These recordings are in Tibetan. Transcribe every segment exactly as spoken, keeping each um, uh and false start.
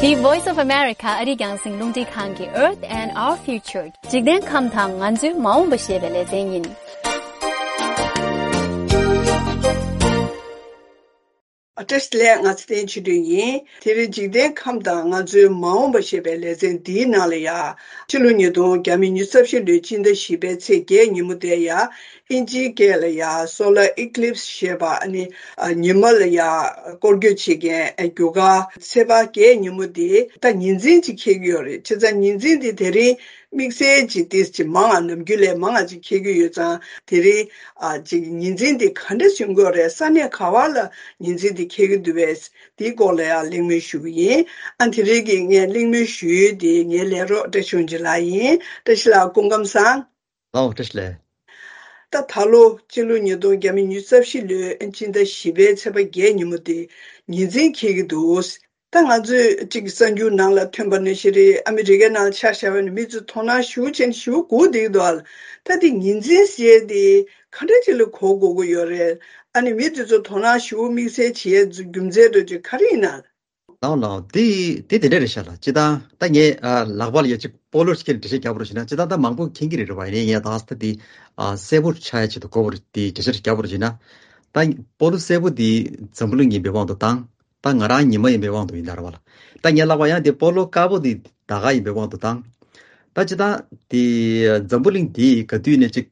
འདི་Voice of America ཨ་རིའི་རྒྱང་སྲིང་རླུང་འཕྲིན་ཁང་གི་Earth and Our Future འཇིག་རྟེན་ཁམས་དང་ང་ཚོའི་མ་འོངས་པ་ཞེས་པའི་ལེ་ཚན་ཡིན། ཨ། བཀྲ་ཤིས་བདེ་ལེགས། ང་ཚེ་བརྟན་ཆོས་སྒྲོན་ཡིན། དེ་རིང་འཇིག་རྟེན་ཁམས་དང་ང་ཚོའི་མ་འོངས་པ་ཞེས་པའི་ལེ་ཚན་འདིའི་ནང་ལ་ཡ། ཕྱི་ལོ་ཉིས་སྟོང་ཉི་ཤུ་རྩ་བཞི་ལོའི་སྤྱི་ཟླ་བཞི་པའི་ཚེས་བརྒྱད་ཉིན་མོ་དེ་ཡ། ཨིན་ཇིའི་སྐད་ལ་ཡ་solar eclipse ཞེས་པ་ཨ་ནི། ཨ། ཉི་མ་ལ་ཡ་སྐོར་སྐྱོད་བྱེད་མཁན་རྒྱུ་སྐར་ཚེས་པ་བརྒྱད་ཉིན་མོ་དེ་ད་ཉི་འཛིན་ཅིག་འཁེལ་གྱི་ཡོད་རེད། བྱས་ཙང་ཉི་འཛིན་དེ་དེ་རིང་དམིགས་བསལ་ཅིག་ཏིས་ཅིག་མང་ང་ནམ་རྒྱུན་ལས་མང་ང་ཅིག་འཁེལ་གྱི་ཡོད་ཙང་། དེ་རིང་ཨ་ཅིག་ཉི་འཛིན་དེ་ག་འདྲ་བྱུང་གི་ཡོད་རེད། ས་གནས་ག་བ་ལ་ཉི་འཛིན་དེ་འཁེལ་གྱི་འདུག་པས། དེའི་སྐོར་ལ་ཡང་གླེང་མོལ་ཞུ་གི་ཡིན། ཨ། དེ་རིང་གི་ངས་གླེང་མོལ་ཞུ་ཡུལ་དེ་ངའི་ལས་རོགས་བཀྲ་ཤིས་དབང་ཕྱུག་ལགས་ཡིན། བཀྲ་ཤིས་ལགས་སྐུ་ཁམས་བཟང་། ལགས་འོ། བཀྲ་ཤིས་བདེ་ལེགས། ད་ད་ལོ་སྤྱི་ལོ་ཉིས་སྟོང་ཉི་ཤུ་རྩ་བཞི་ལོའི་སྤྱི་ཟླ་བཞི་པའི་ཚེས་པ་བརྒྱད་ཉིན་མོ་དེ་ཉི་འཛིན་འཁེལ་གྱི་འདུག་ད་ང་ཚོས་ཅིག་གསར་འགྱུར་ནང་ལ་ཐོན་པ་ནང་བཞིན་རེད། ཨ་མི་རི་ཀའི་ནང་ལ་ཆ་བཞག་པ་ཡིན་ན་མི་ཚོས་དོ་སྣང་ཞེ་པོ་བྱས་ནས་ཞེ་པོ་སྒུག་བསྡད་ཀྱི་འདུག་ཨ། ད་དེ་ཉི་འཛིན་ཟེར་དེ་ག་འདྲ་ཅིག་ལ་གོ་དགོས་ཀྱི་ཡོད་རེད། ཨ་ནི་མི་དེ་ཚོ་དོ་སྣང་ཞེ་པོ་དམིགས་བསལ་བྱེད་ཡས་རྒྱུ་མཚན་འདྲ་ཅིག་ག་རེ་ཡིན་ན། ལགས་འོ་ལགས་འོ། དེ་དེ་དེ་འདྲ་རེད་ཤག་ལགས། སྤྱིར་བཏང་ད་ངས་ཨ་ལག་པ་ལ་ཡ་ཅིག་སྤོ་ལོ་ཞིག་འགྲེལ་བཤད་རྒྱག་པ་རུ་བྱས་ན། སྤྱིར་བཏང་ད་མང་པོ་མཁྱེན་གྱི་རེད་རེད་པ། ཡིན་ནའི་ངས་ད་ད་དེ་ཨ་གསལ་པོ་ཆགས་ཡ་ཆེད་དུ་གོ་བ་རུ་དེ་འགྲེལ་བཤད་རྒྱག་པ་རུ་བྱས་ན། ད་སྤོ་ལོ་གསལ་པོ་དེ་འཛམ་བུ་གླིང་ཡིན་པའི་དབང་དུ་བཏང་། ད་ང་རང་ཉི་མ་ཡིན་པའི་དབང་དུ་ཡིན་ད་རེད་པ་ལགས། ད་ངས་ལབ་པ་ཡང་དེ་སྤོ་ལོ་དཀར་པོ་དེ་ཟླ་སྐར་ཡིན་པའི་དབང་དུ་བཏང་། ད་སྤྱིར་བཏང་དེ་འཛམ་བུ་གླིང་དེ་ག་དུས་ནས་ཅིག་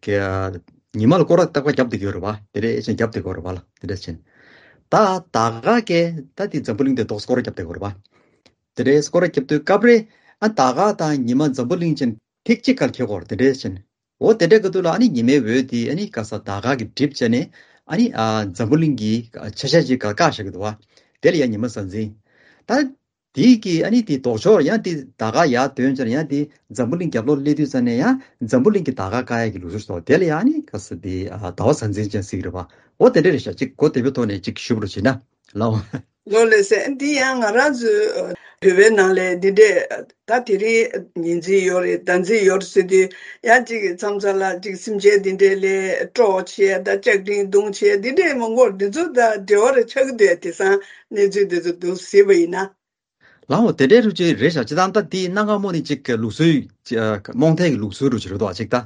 ཉི་མ་ལ་སྐོར་ར་ཏག་ཏག་བརྒྱབ་བསྡད་ཀྱི་ཡོད་རེད་པ། དེ་འདྲ་ཅིག་བརྒྱབ་བསྡད་ཀྱི་ཡོད་རེད་པ་ལགས། དེ་འདྲ་ཅིག་ད་ཟླ་སྐར་གས་ད་དེ་འཛམ་བུ་གླིང་དེ་ཏོག་སྐོར་ར་བརྒྱབ་བསྡད་ཀྱི་ཡོད་རེད་པ། དེ་འདྲའི་སྐོར་ར་བརྒྱབ་དུས་སྐབས་རེ་ཨ་ཟླ་སྐར་དང་ཉི་མ་འཛམ་བུ་གླིང་ཅན་ཐིག་གཅིག་ཁར་འཁེལ་གྱི་ཡོད་རེད། དེ་འདྲ་ཅིག་འོ་དེ་འདྲའི་སྐབས་དུས་ལ་ཨ་ནི་ཉི་མའི་འོད་དེ་ཨ་ནི་ག་ས་ཟླ་སྐར་གྱི་གྲིབ་བྱས་ནས་ཨ་ནི་ཨ་འཛམ་བུ་གླིང་གི་ཆ་ཤས་ཅིག་ག་བཀག་བཞག་གི་འདུག་པ། དེ་ལ་ཡ་ཉི་མ་གཟའ་འཛིན། ད་དེའི་གི་ཨ་ནི་དེ་ལྡོག་ཕྱོགས་ཡང་དེ་ཟླ་སྐར་ཡར་ཐོན་ཙང་ཡང་དེ་འཛམ་བུ་གླིང་རྒྱབ་ལོགས་སླེབས་དུས་ཙང་ནས་ཡང་འཛམ་བུ་གླིང་གི་ཟླ་སྐར་བཀག་ཡ་གི་ལུགས་སྲོལ་ཞིག་འདུག་དེ་ལ་ཡ་ཨ་ནི་ག་ས་དེ་ཨ་ཟླ་བ་གཟའ་འཛིན་ཅན་ཟེར་གྱི་རེད་པ། འོ་དེ་འདྲ་རེད་ཤག་ཅིག་གོ་བདེ་པོའི་ཐོག་ནས་ཅིག་ཞུ་བ་རུ་བྱས་ན་ལགས། ལགས་ལགས་སེ། འདི་ཡང་ང་རང་ཚོའི་བོད་པའི་ནང་ལ་འདི་འདྲས་ད་དེ་རིང་ཉི་འཛིན་ཡོད་རེད། ཟླ་འཛིན་ཡོད་རེད་ཟེར་དུས་ཡང་ཅིག་མཚམས་མཚམས་ལ་ཅིག་སེམས་ཅན་འདི་འདྲས་ལ་སྤྲོ་བྱས་ད་ལྕགས་ཀྲིན་བརྡུང་བྱས་འདི་འདྲས་མང་པོ་འདི་ཚོ་ད་འབྲེལ་བ་རེ་ཆགས་ཀྱི་འདུག་དེང་སང་གནས་ཚུལ་འདི་ཚོ་འདུག་ཟེར་བ་ཡིན་ན། ལགས་འོ། དེ་འདྲའི་རུ་ཅིག་རེད་ཤག་ཅིག་ད་ལྟ་དེ་གནའ་སྔ་མོ་ནས་ཅིག་ལུགས་སྲོལ་རྨོངས་དད་ཀྱི་ལུགས་སྲོལ་རུ་ཅིག་རེད་དོ། ཅིག་ད་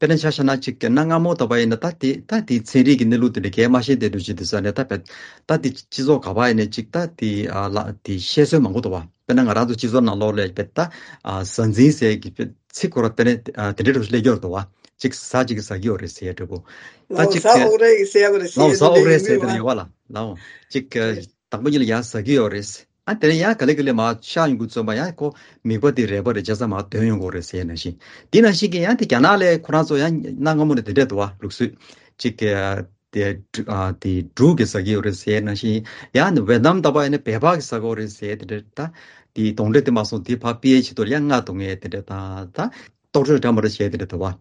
དཔེར་ན་ཆ་བཞག་ན་ཅིག་གནའ་སྔ་མོ་ལྟ་བུ་ཡིན་ན་ད་དེ་ད་དེ་ཚན་རིག་གི་གནས་ལུགས་དེ་འདྲ་གས་མ་ཤེས་དེ་འདྲ་ཅིག་དུས་ཙང་ནས་ད་བས་ད་དེ་སྤྱི་ཚོགས་ག་བ་ཡིན་ནས་ཅིག་ད་དེ་ཨ་ལ་དེ་བཤད་སྲོལ་མང་པོ་འདུག་པ། དཔེར་ན་ང་རང་ཚོ་སྤྱི་ཚོགས་ནང་ལོགས་ལ་བས་ད་ཨ་གཟའ་འཛིན་ཟེར་གྱི་ཚིག་ཁོ་ར་དཔེར་ན་ཨ་དེ་འདྲའི་རུ་སླེབས་ཀྱི་ཡོད་རེད་དོ། ཅིག་གཟའ་ཅིག་གིས་ཟ་གི་ཡོད་རེད་ཟེར་ཡ་འདྲ་པོ། ད་ལོ་ཅིག་གཟའ་ཨོག་རལ་གྱིས་ཟས་པ་རེད་ཟེར་ལོ་ཡ་གཟའ་ཨོག་རལ་ཟེར་དེ་འདྲ་ཡོད་པ་ལ་ལའོ། ཅིག་དང་པོ་ཉིད་ལ་ཡ་ཟ་གི་ཡོད་རེད། ཨ་དེ་ནས་ཡང་ག་ལེ་ག་ལེ་མར་ཤར་ཡོང་གི་བརྩོན་པ་ཡང་ཁོ་མིད་པ་དེ་རལ་པ་རེད་བྱས་ཙང་མར་དོན་ཡོང་གི་རེད་ཟེར་ནང་བཞིན། དེ་ནང་བཞིན་གྱི་ཡང་དེ་རྒྱ་ནག་ལ་ཁོ་རང་ཚོ་ཡང་གནའ་སྔ་མོ་ནས་དེ་འདྲས་འདུག་པ་ལུགས་སྲོལ། ཅིག་གི་དེ་འབྲུ་ཨ་དེ་འབྲུག་གིས་ཟ་གི་ཡོད་རེད་ཟེར་ནང་བཞིན། ཡང་ནི་ཝེ་ནམ་ལྟ་བུ་ཡིན་ན་བལ་པ་གིས་ཟ་གི་ཡོད་རེད་ཟེར་དེ་འདྲས། ད་དེ་གདོན་འདྲེ་དེ་མ་སོང་དེ་ཕར་ཕུད་ཡས་ཆེད་དུ་ཡང་རྔ་བརྡུང་ཡས་དེ་འདྲས་ད་ད། གཏོར་བཅོས་འདྲ་མི་འདྲ་བྱས་དེ་འདྲ་འདུག་པ།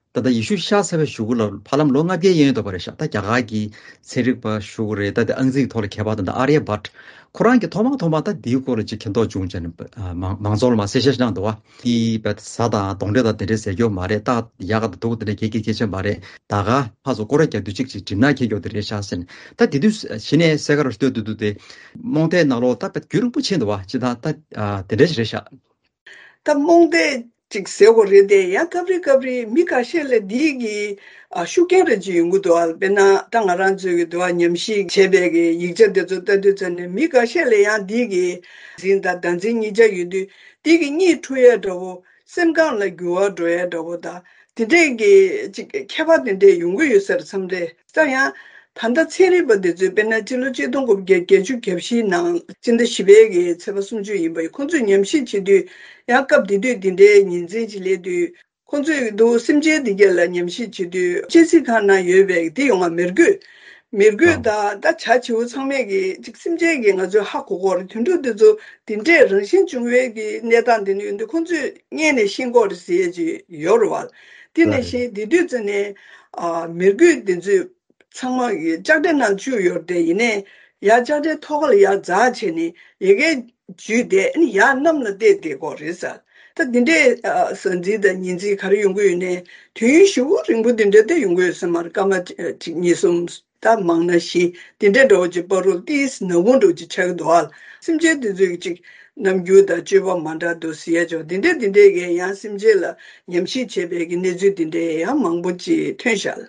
ད་ལྟ་ཡེ་ཤུ་ཤར་ཚར་བའི་གཞུག་གུ་ལ་ཧ་ལམ་ལོ་ལྔ་བརྒྱའི་གཡས་གཡོན་འདྲ་པོ་རེད་ཤག་ད་རྒྱ་གར་གྱི་ཚན་རིག་པ་ཞུ་གི་རེད། ད་དེ་ཨང་རྩིས་ཀྱི་ཐོག་ལ་མཁས་པ་དང་ད་ཨར་ཡ་བྷཊ་ཁོ་རང་གིས་ཐོག་མ་ཐོག་མ་ད་འདིའི་སྐོར་ལ་ཅིག་མཁྱེན་རྟོགས་བྱུང་བྱས་ནས་ཨ་མང་མང་ཚོགས་ལ་མར་གསལ་བཤད་ཞིག་གནང་འདུག་པ། དེའི་བས་གཟའ་དང་གདོན་འདྲེ་དང་དེ་འདྲའི་ཟས་སྐྱོ་མ་རེད། ད་ཡག་ག་དང་སྡུག་ག་དེ་འདྲ་གལ་གལ་གལ་ཆེ་མ་རེད། ད་ག་ཕར་ཚུར་སྐོར་ར་རྒྱག་དུས་གཅིག་ཅིག་གྲིབ་ནག་འཁྱེར་རྒྱུ་དེ་རེད་ཤག་ཟེར་ནས། ད་དེ་དུས་གཞི་ནས་གསལ་ཁ་རུ་ལྟོས་དུས་དུས་དེ་རྨོངས་དད་ནང་ལོགས་ད་བས་རྒྱུན་རིང་པོ་ཕྱིན་འདུག་པ། ཅི་ད་ད་ཨ་དེ་འདྲ་ཞིག་རེད་ཤག་ད་རྨོངས་དད་ཅིག་ཟེར་དགོས་རེད་དེ། ཡང་སྐབས་རེ་སྐབས་རེ་མི་འགའ་ཤས་ལ་འདི་གི་ཨ་ཤུགས་རྐྱེན་རེ་ཅིག་ཡོང་གི་འདུག་ཨ། དཔེར་ན་ད་ང་རང་ཚོའི་གི་འདུག་ཨ་ཉམས་ཞིབ་བྱས་པའི་གི་ཡིག་ཆ་དེ་ཚོ་ལྟ་དུས་ཙམ་ནས་མི་འགའ་ཤས་ལ་ཡང་འདི་གི་འཛིན་དང་ཟླ་འཛིན་གཉིས་ཆ་ཡོད་དུས་འདི་གི་གཉིད་འཁྲུག་ཡས་འདྲ་བོ། སེམས་ཁམས་ལ་འགྱུར་བ་འགྲོ་ཡས་འདྲ་བོ་དང་དེ་འདྲས་ཀྱི་ཅིག་ཁྱད་པར་དེ་འདྲས་ཡོང་གི་ཡོད་ས་རེད་བསམ་རེད། ད་ཡང་ད་ལྟ་ཚན་རིག་པ་འདི་ཚོས་དཔེར་ན་སྤྱི་ལོ་གཅིག་སྟོང་དགུ་བརྒྱ་བརྒྱད་ཅུ་གྱ་བཞི་ནང་སྤྱི་ཟླ་བཞི་པའི་གི་ཚེས་པ་སུམ་ཅུ་ཡིན་པ་ཡིན། ཁོང་ཚོས་ཉམས་ཞིབ་བྱེད་དུས་ཡང་སྐབས་དེ་དུས་འདི་འདྲའི་ཉིན་མཚན་ཅིག་སླེབས་དུས་ཁོང་ཚོས་འདུག་སེམས་ཅན་འདི་གས་ལ་ཉམས་ཞིབ་བྱེད་དུས་གཅན་གཟན་ཁང་ནང་ཡོད་པའི་དེ་ཡོང་བ་མི་རྒོད། མི་རྒོད་ད་ད་བྱ་བྱིའུ་ཚང་མས་གི་ཅིག་སེམས་ཅན་གྱི་ང་ཚོས་ཧ་གོ་གོ་རེད། དུད་འགྲོ་འདི་ཚོ་དེ་འདྲས་རང་བཞིན་བྱུང་བའི་གི་གནས་སྟངས་འདི་ནི་ཡོད་འདུག་ཁོང་ཚོས་སྔས་ནས་ཤེས་གོ་རེད་ཟེར་ཡས་ཅིག་ཡོད་རེད་བ། དེ་ནས་ཤེས་དེ་དུས་ཙམ་ནས་ཨ་མི་རྒོད་འདི་ཚོས་ཚང་མ་གི་ལྕགས་དྲའི་ནང་བཅུག་ཡོད་དེ། ཡིན་ནའི་ཡར་ལྕགས་དྲའི་ཐོག་ཁ་ལ་ཡར་འཛེགས་བྱས་ནས་ཡ་གིར་འཇུས་ཏེ་ཨ་ནི་ཡར་གནམ་ལ་བཏེགས་བསྡད་ཀྱི་ཡོད་རེད་ཟེར། ད་འདི་འདྲའི་ཨ་གཟའ་འཛིན་དང་ཉི་འཛིན་ག་རེ་ཡོང་གི་ཡོད་ནའི་དུས་ཡུན་ཞེ་པོ་རིང་པོ་འདི་འདྲ་དེ་ཡོང་གི་ཡོད་ས་མ་རེད། སྐར་མ་གཅིག་གཉིས་གསུམ་ད་མང་ན་བཞི་འདི་འདྲའི་འདྲ་བོ་ཅིག་བར་དུ་ཏིས་ནག་ཁུང་འདྲ་བོ་ཅིག་ཆགས་ཀྱི་འདུག་ཨ། སེམས་ཅན་འདི་ཚོས་ཅིག་ རྣམ་འགྱུར་དང་སྤྱོད་པ་མ་འདྲ་འདུག་ཟེར་ཡ་ཅོག་འདི་འདྲ་འདི་འདྲས་ཀྱི་ཡང་སེམས་ཅན་ལ་ཉམས་ཞིབ་བྱེད་པའི་གི་གནས་ཚུལ་འདི་འདྲས་ཡང་མང་པོ་ཅིག་ཐོན་ཤག་ལ།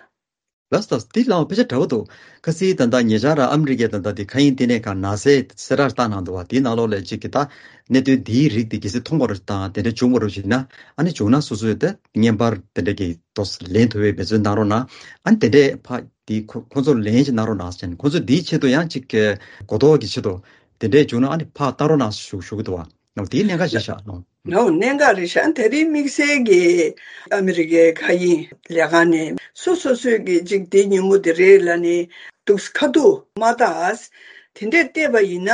ལགས་སོ། འདི་ལའང་དཔེ་ཆ་འདྲ་བོ་འདུག། ཁ་སང་ད་ལྟ་ཉེ་ཆར་ཨ་མི་རི་ཀའི་ད་ལྟ་དེ་མཁའ་དབྱིངས་ལྟེ་གནས་ཁང་ནཱ་སཱའི་གསལ་བསྒྲགས་བཏང་གནང་འདུག་བ། དེའི་ནང་ལོགས་ལ་ཅིག་གི་ད་གནད་དོན་འདིའི་རིགས་དེ་གལ་སྲིད་མཐོང་བ་རུ་དང་དེ་འདྲ་བྱུང་བ་རུ་ཞིག་ན། ཨ་ནི་བྱུང་ན་སོ་སོས་ད་བརྙན་པར་དེ་འདྲ་གི་ཏོག་ཙམ་ལེན་ཐུབ་པའི་འབད་བརྩོན་གནང་རོགས་གནང་། ཨ་ནི་དེ་འདྲས་ཕ་དེ་ཁོ་ཁོ་ཚོར་ལེན་ཞིག་གནང་རོགས་གནང་ཟེར་ནས། ཁོ་ཚོས་འདིའི་ཆེད་དུ་ཡང་ཅིག་གི་གོ་རྟོགས་ཀྱི་ཆེད་དུ་དེ་འདྲས་བྱུང་ན་ཨ་ནི་ཕར་བཏང་རོགས་གནང་ཞུ་ཞུ་གི་འདུག་བ། ནོ། དེའི་གནད་འགག་ཞིག་ཤག་ནོ། ནོ། གནད་འགག་རེད་ཤག། དེ་རིང་དམིགས་བསལ་གྱི་ཨ་མི་རི་ཀའི་མཁའ་དབྱིངས་ལས་ཁང་ནས་སོ་སོ་སོས་ཀྱི་ཅིག་དེ་ཉིན་མོ་དེ་རེད་ལ་ནི་འདུག་ཁ་ཐུག་མ་བལྟས། དེ་འདྲས་བལྟས་པ་ཡིན་ན་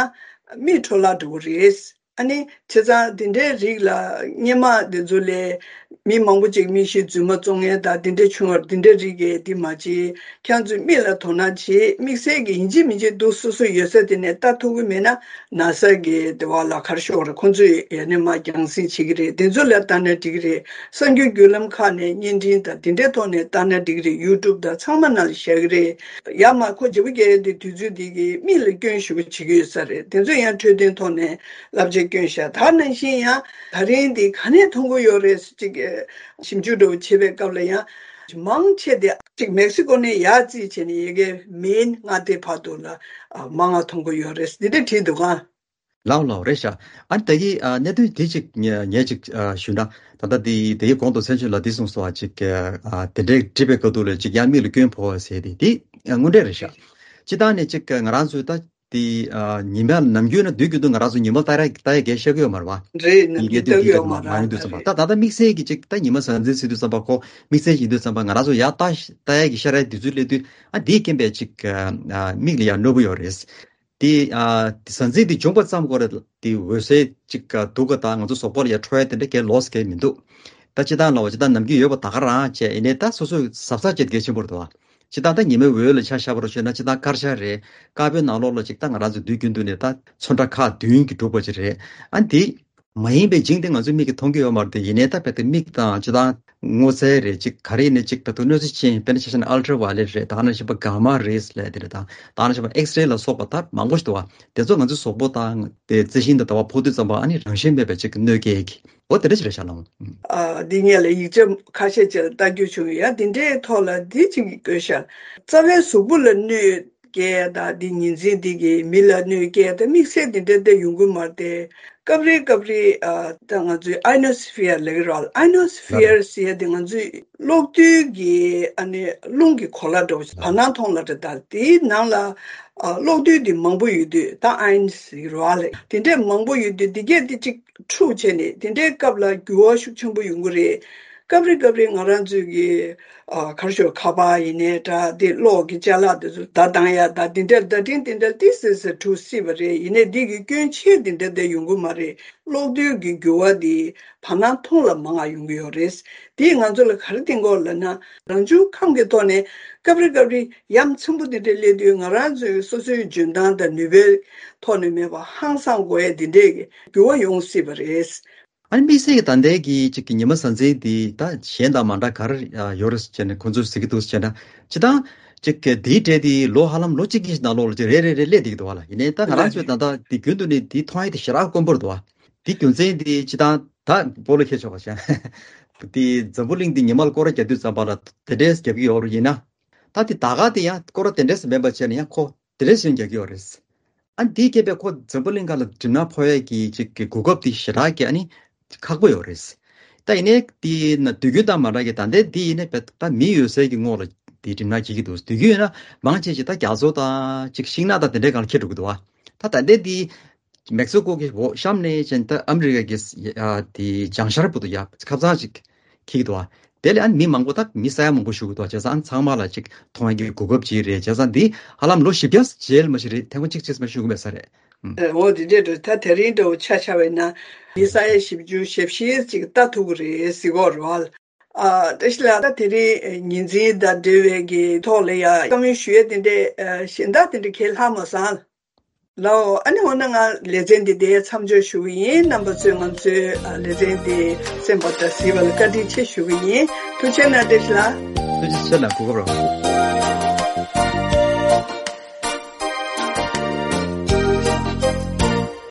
མིག་འཕྲོ་བརླག་འགྲོ་གི་རེད། ཨ་ནི་བྱས་ཙང་དེ་འདྲའི་རིགས་ལ་སྔོན་མ་དེ་ཚོ་ལས་མི་མང་པོ་ཅིག་མིག་ཤེལ་རྫུན་མ་བཙོང་མཁན་དང་དེ་འདྲ་བྱུང་བར་དེ་འདྲའི་རིགས་ཀྱི་དེ་མ་བྱེད། ཁྱེད་ཚོས་མིག་ལ་དོ་སྣང་བྱེད། དམིགས་བསལ་གྱི་ཡིན་གཅིག་མིན་གཅིག་འདུག་སོ་སོ་ཡོད་ས་དེ་ནས་ལྟ་ཐུབ་ཀྱི་མེད་ན། ནཱ་སཱ་གི་དེ་བ་ལ་ག་རེ་ཞུ་དགོས་རེད། ཁོང་ཚོས་ཡ་ནས་མར་རྒྱང་སྲིང་བྱེད་ཀྱི་རེད། དེ་ཚོ་ལ་ལྟ་ན་འགྲིག་གི་རེད། གསར་འགྱུར་བརྒྱུད་ལམ་ཁག་ནས་བརྙན་འཕྲིན་དང་དེ་འདྲའི་ཐོག་ནས་ལྟ་ན་འགྲིག་གི་རེད། ཡུ་ཊུབ་དང་ཚང་མ་ནང་ལ་བཞག་གི་རེད། ཡར་མར་ཁོ་བརྗེ་པོ་རྒྱག་ཡ་དེ་དུས་ཚོད་འདི་གི་མིག་ལ་སྐྱོན་ཞེ་པོ་བྱེད་ཀྱི་ཡོད་ས་རེད། དེ་ཚོ་ཡང་འཕྲོད་བསྟེན་ཐོག་ནས་བསླབ་བྱ་བསྐྱོན་ཤག། ད་ནང་བཞིན་ཡང་ད་རིང་འདི་ག་ནས་མཐོང་གི་ཡོད་རེད་ཅིག་ཞིབ་འཇུག་འདྲ་བོ་བྱེད་པའི་སྐབས་ལ་ཡང་མང་ཆེ་དེ་ཅིག་མེག་སི་ཀོ་ནས་ཡར་རྩིས་བྱས་ནས་ཡ་གི་མེན་མངའ་སྡེ་བར་དུ་ལ་ཨ་མང་ང་མཐོང་གི་ཡོད་རེད། འདི་འདྲ་བྲིས་འདུག་ག། ལའོ་ལའོ་རེད་ཤག། ཨ་ནི་ད་གི་ཨ་གནད་དོན་དེ་ཅིག་ངས་ངས་ཅིག་ཨ་ཞུ་ན། ད་ལྟ་དེ་དེའི་གོང་དུ་མཚན་ཆོས་ལ་འདི་གསུངས་སོང་བ། ཅིག་ཨ་དེ་འདྲའི་བྲིས་པའི་སྐབས་དུས་ལ་ཅིག་ཡང་མིག་ལ་སྐྱོན་ཕོག་པ་ཟེར་དེ་དེ་དངོས་འབྲེལ་རེད་ཤག། སྤྱིར་བཏང་ནས་ཅིག་ང་རང་ཚོའི་ད་དེ་ཨ་ཉི་མ་ནམ་རྒྱུན་ན་དུས་རྒྱུན་དུ་ང་རང་ཚོ་ཉི་མ་ལྟ་ར་ལྟ་ཡ་གས་ཤེས་ཀྱི་ཡོད་མ་རེད་བ། རེད། ནམ་ཡིན་གྱི་རྒྱུན་ལྟ་དུས་གི་ཡོད་རྒྱུན་མ་དུ་མ་ཡོང་དུས་ཙམ་པ། རེད། ད་ད་ལྟ་དམིགས་བསལ་གྱི་ཅིག་ད་ཉི་མ་གཟའ་འཛིན་ཟེར་དུས་ཙམ་པ། ཁོ་དམིགས་བསལ་ཡིན་དུས་ཙམ་པ་ང་རང་ཚོ་ཡར་ལྟ་ལྟ་ཡ་གི་ཤར་ཡ་དུས་ཚོད་སླེབས་དུས་ཨ་དེའི་རྐྱེན་པས་ཅིག་ཨ་མིག་ལ་ཡང་གནོད་པོ་ཡོད་རེད། དེ་ཨ་དེ་གཟའ་འཛིན་དེ་བྱུང་པ་ཙམ་གོ་རེ་དེ་འོད་ཟེར་ཅིག་ག་སྡུག་ག་དང་ང་ཚོ་གཟུགས་པོ་ལ་ཡ་འཕྲོ་ཡ་དེ་འདྲ་གས་ལོགས་གས་མི་འདུག། ད་སྤྱིར་བཏང་ལ་བ་སྤྱིར་བཏང་ནམ་རྒྱུན་ཡོད་པ་ད་ག་རང་བྱས། ཡིན་ནའི་ད་སོ་སོའི་གཟབ་གཟབ་བྱེད་གལ་ཆེན་པོ་རེད་བ། སྤྱིར་བཏང་ད་ཉི་མའི་འོད་ལ་ཆ་བཞག་པ་རུ་བྱས་ན་སྤྱིར་བཏང་དཀར་ཆ་རེད། དཀར་པོའི་ནང་ལོགས་ལ་ཅིག་ད་ང་རང་ཚོ་དུས་རྒྱུན་དུ་ནས་ད་ཚོན་ཁྲ་ཁག་བདུན་གྱིས་གྲུབ་པ་ཅིག་རེད། ཨ་འདི་མ་ཡིན་པའི་ཇིང་དེ་ང་ཚོའི་མིག་གིས་མཐོང་གི་ཡོད་མ་རེད་དེ། ཡིན་ནའི་ད་དཔེ་དེ་མིག་དང་སྤྱིར་བཏང་སྔོ་ཚལ་རེད། ཅིག་ག་རེ་ཡིན་ནའི་ཅིག་ད་དུང་གནོད་འཚེ་ཅན། དཔེར་ན་ཆ་བཞག་ན་ཨལ་ཊ་ཝའི་ལེཊ་རེད། ད་ག་ནང་བཞིན་པ་གྷ་མ་རེས་ལབ་དེ་རེད། ད་ད་ག་ནང་བཞིན་པ་ཨེགས་རེ་ལ་སོགས་པ་ད་མང་པོ་ཞིག་འདུག་བ། དེ་ཚོ་ང་ཚོའི་གཟུགས་པོ་དང་དེ་རྩི་ཤིང་དང་ལྟ་བ་ཕོག་དུས་ཙམ་པ་ཨ་ནི་རང་བཞིན་མེད་པའི་ཅིག་གནོད་སྐྱེལ་གྱི། འོ་དེ་འདྲ་ཞིག་རེད་ཤག་ལགས། ཨ་འདི་ངས་ལ་ཡིག་ཆ་ཁ་ཤས་ཅིག་ལ་ལྟ་རྒྱུ་བྱུང་ཡ། འདི་འདྲའི་ཐོག་ལ་འདི་ཅིག་གི་བཀོད་ཤག། རྩ་བའི་གཟུགས་པོ་ལ་གནོད་སྐྱེལ་ཡ་དང་འདི་ཉིན་མཚན་འདི་གི་མི་ལ་གནོད་སྐྱེལ་ཡ་དང་དམིགས་བསལ་འདི་འདྲ་དེ་ཡོང་གི་མ་རེད་དེ། སྐབས་རེ་སྐབས་རེ་ཨ་ད་ང་ཚོའི་ཨའི་ནོ་སི་ཕི་ཡར་ལབ་ཀྱི་རེད་བ། ཨའི་ནོ་སི་ཕི་ཡར་ཟེར་ཡ་དེ་ང་ཚོའི་གློག་རྡུལ་གྱི་ཨ་ནི་རླུང་གི་གོ་ལ་འདྲ་བོ་ཞིག་བར་སྣང་མཐོང་ལ་རེད། ད་དེའི་ནང་ལ་ཨ་གློག་རྡུལ་འདི་མང་པོ་ཡོད་དུས་ད་ཨའི་ནི་ཟེར་གྱི་རེད་བ་ལ། དེ་འདྲས་མང་པོ་ཡོད་དུས་འདི་གས་འདི་གཅིག་འཁྲུག་བྱས་ནས་དེ་འདྲའི་སྐབས་ལ་འགྱུར་བ་ཤུགས་ཆེན་པོ་ཡོང་གི་རེད། སྐབས་རེ་སྐབས་རེ་ང་རང་ཚོའི་གི་ཨ་ག་རེ་ཞུ་ཁ་པར་ཡིན་ནའི་འདྲ། དེ་གློག་གི་ཅ་ལག་དེ་ཚོ་བརྡ་བཏང་ཡ་ད་དེ་འདྲ་བརྡ་འཕྲིན་དེ་འདྲ་ཏིག་ཙམ་ཙམ་འཁྲུག་སྲིད་པ་རེད། ཡིན་ནའི་འདི་གི་སྐྱོན་ཆེ་དེ་འདྲ་དེ་ཡོང་གི་མ་རེད། གློག་རྡུལ་གྱི་འགྱུར་བ་འདི་བར་སྣང་མཐོང་ལ་མང་ང་ཡོང་གི་ཡོད་རེད། འདིས་ང་ཚོ་ལ་ག་རེ་བསྟན་གྱི་ཡོད་ལབ་ན། རང་བྱུང་ཁམས་ཀྱི་ཐོག་ནས་སྐབས་རེ་སྐབས་རེ་ཡ་མཚན་པོ་འདི་འདྲ་སླེབས་དུས་ང་རང་ཚོའི་སོ་སོའི་འཇོན་ཐང་དང་ནུས་པའི་ཐོག་ནས་མེད་པ་ཧང་སང་དགོས་ཡ་འདི་འདྲའི་གི་འགྱུར་བ་ཡོང་སྲིད་པ་རེད། ཨ་ནི་དམིགས་བསལ་གྱི་ད་ལྟའི་གི་ཅིག་གི་ཉི་མ་གཟའ་འཛིན་འདི་ད་གཞན་དང་མ་འདྲ་ག་རེ་ཡོད་རེད་ཟེར་ནས་ཁོང་ཚོས་ཟེར་གྱི་འདུག་ཟེར་ན། སྤྱིར་བཏང་ཅིག་གི་འདིའི་གྲས་འདི་ལོ་ཧ་ལམ་ལོ་གཅིག་གི་ནང་ལོགས་ལ་ཅིག་རེ་རེ་རེ་སླེབས་བསྡད་ཀྱི་འདུག་བ་ལ། ཡིན་ནའི་ད་ང་རང་ཚོས་ད་ལྟ་འདི་རྒྱུན་དུ་ནི་འདི་མཐོང་ཡ་དེ་ཞེ་དྲག་དཀོན་པོ་རེད་འདུག་བ། འདི་རྒྱུ་མཚན་འདི་སྤྱིར་བཏང་ད་སྤོ་ལོ་ཁྱེར་ཆོག་པ་བྱ། འདི་འཛམ་བུ་གླིང་འདི་ཉི་མ་ལ་སྐོར་ར་རྒྱག་དུས་ཙམ་པ་ལ་དེ་འདྲས་རྒྱག་གི་ཡོད་རེད། ཡིན་ན་ད་འདི་ད་ག་དེ་ཡང་སྐོར་ར་དེ་འདྲས་མིན་པ་བྱས་ན་ཡང་ཁོ་དེ་འདྲས་ཟིན་རྒྱག་གི་ཡོད་རེད། ཨ་འདིའི་རྐྱེན་པས་ཁོ་འཛམ་བུ་གླིང་སྒང་ལ་གྲིབ་ནག་ཕོག་ཡས་ཀྱི་ཅིག་གི་གོ་སྐབས་དེ་ཞེ་དྲག་གི་ཨ་ནི་ཁག་པོ་ཡོད་རེད། ད་ཡིན་ནའི་དེ་ན་དུས་རྒྱུན་དང་མ་འདྲ་གི་ད་ལྟའི་འདི་ཡིན་ནའི་བས་ད་མི་ཡོད་སའི་གི་ངོགས་ལ་དེ་གྲིབ་ནག་འགྱིག་གི་འདུག། དུས་རྒྱུན་ཡིན་ན་མང་ཆེ་ཆེ་ད་རྒྱ་མཚོ་དང་ཅིག་ཤིང་ནགས་དང་དེ་འདྲའི་སྒང་ལ་འཁྱེར་འགྲོ་གི་འདུག་བ། ད་ད་ལྟའི་འདི་མེག་སི་ཀོ་གི་འོག་གཤམ་ནས་ཅན་ད་ཨ་མི་རི་ཀ་གི་ཡ་དེ་བྱང་ཤར་བར་དུ་ཡ་ཁ་ཚང་ཅིག་འཁྱེར་གྱི་འདུག་བ། དེ་ལས་ཨ་ནི་མི་མང་པོ་ད་མི་ས་ཡ་མང་པོ་ཞུགས་ཀྱི་འདུག་བ། བྱས་ཙང་ཨ་ནི་ཚང་མ་ལ་ཅིག་མཐོང་ཡ་གི་གོ་སྐབས་ཅིག་རེད། བྱས་ཙང་འདི་ཧ་ལམ་ལོ་བཞི་བརྒྱ་རྗེས་ལ་མ་ཞིག་རེད། ཐེངས་མ་གཅིག་གཅིག་མ་ཞུགས་མེད་ས་རེད། ཨུམ། ཨོ་འདི་འདྲས་འགྲོ། ད་དེ་རིང་འདྲ་བོ་ཆ་བཞག་པ་ཡིན་ན་མི་ས་ཡ་བཞི་བཅུ་ཞེ་བཞི་ཅིག་ལྟ་ཐུབ་ཀྱི་རེད་ཟེར་གྱི་ཡོད་རེད་བ། ཨ་བཀྲ་ཤིས་ལགས། ད་དེ་རིང་ཉིན་མཚན་དང་འབྲེལ་བའི་གི་ཐོག་ལ་ཡ་བཀའ་མོལ་ཞུ་ཡས་དེ་འདྲས་ཨ་གཞན་དག་དེ་འདྲས་གང་ཡང་ལྷག་མ་སོང་། ལའོ། ཨ་ནི་འོ་ན་ང་ལེ་ཚན་འདི་འདིར་མཚམས་འཇོག་ཞུ་གི་ཡིན། རྣམ་པ་ཚོས་ང་ཚོའི་ཨ་ལེ་ཚན་འདི་གསན་པ་དང་གཟིགས་པ་ལ་བཀའ་དྲིན་ཆེ་ཞུ་གི་ཡིན། ཐུགས་རྗེ་གནང་། བཀྲ་ཤིས་ལགས། ཐུགས་རྗེ་ཆེ་ལགས། གོ་སྐབས་རག